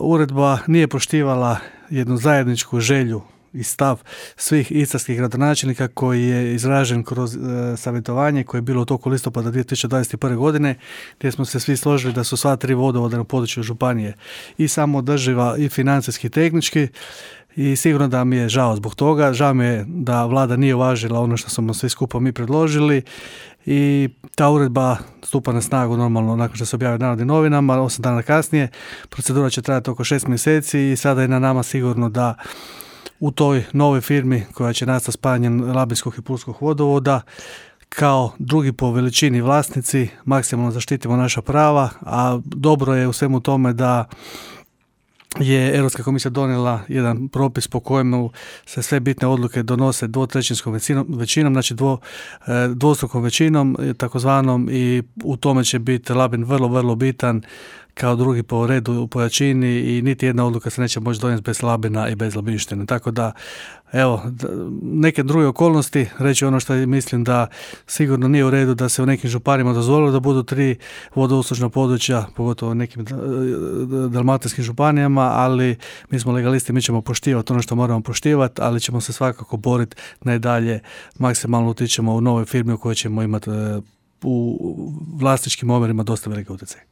uredba nije poštivala jednu zajedničku želju i stav svih istarskih gradonačelnika koji je izražen kroz savjetovanje koje je bilo u toku listopada 2021. godine, gdje smo se svi složili da su sva 3 vodovoda na području županije i samoodrživa i financijski i tehnički, i sigurno da mi je žao zbog toga. Žao mi je da vlada nije uvažila ono što smo svi skupa mi predložili i ta uredba stupa na snagu normalno nakon što se objavi u Narodnim novinama, 8 dana kasnije. Procedura će trajati oko 6 mjeseci i sada je na nama sigurno da u toj novoj firmi koja će nastati spajanjem Labinskog i Pulskog vodovoda kao drugi po veličini vlasnici maksimalno zaštitimo naša prava, a dobro je u svemu tome da je Europska komisija donijela jedan propis po kojemu se sve bitne odluke donose dvotrećinskom većinom, znači dvostrukom većinom takozvanom, i u tome će biti Labin vrlo, vrlo bitan kao drugi po redu po jačini i niti jedna odluka se neće moći donijeti bez Labina i bez Labinštine. Tako da, evo, neke druge okolnosti, reći ono što mislim da sigurno nije u redu da se u nekim županijama dozvolilo da budu 3 vodouslužna područja, pogotovo u nekim dalmatinskim županijama, ali mi smo legalisti, mi ćemo poštivati ono što moramo poštivati, ali ćemo se svakako boriti najdalje, maksimalno utičemo u nove firme u kojoj ćemo imati u vlasničkim omjerima dosta velike utjecaje.